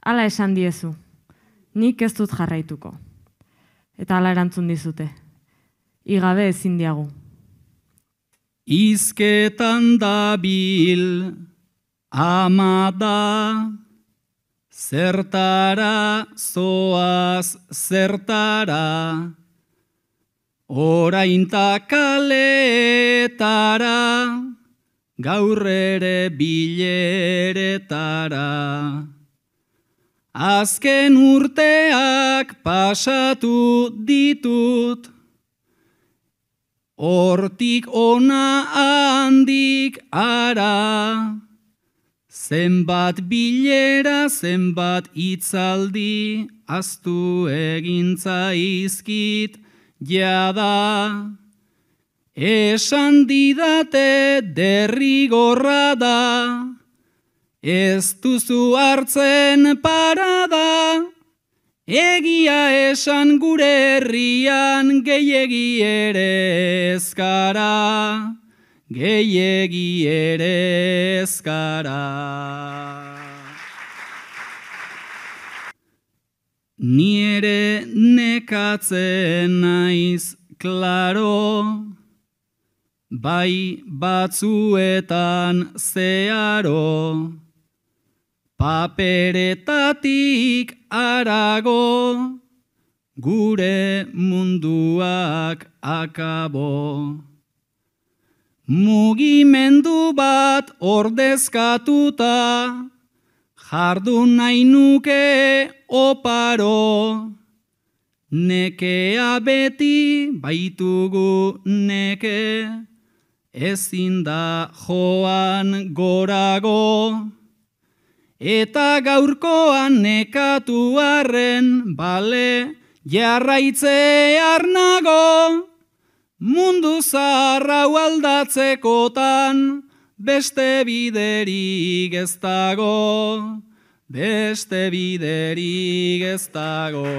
Hala esan diezu, nik ez dut jarraituko. Eta hala erantzun dizute, igabe ezin diagu. Izketan dabil ama da, zertara zoaz zertara, orainta kaletara, gaur ere bileretara. Azken urteak pasatu ditut, hortik ona handik ara, zenbat bilera, zenbat hitzaldi, ahaztu egin zaizkit jada. Esan didate derrigorra da, ez duzu hartzen parada, egia esan gure herrian gehiegi ere ezkara, gehiegi ere ezkara. Ni ere nekatzen naiz, klaro, bai batzuetan zeharo, paperetatik arago, gure munduak akabo. Mugimendu bat ordezkatuta, jardun nahi nuke oparo, nekea beti baitugu neke, ezin da joan gorago. Eta gaurkoan nekatu arren, bale jarraitzear nago, mundu zaharrau aldatzekotan, beste biderik ez dago, beste biderik ez dago.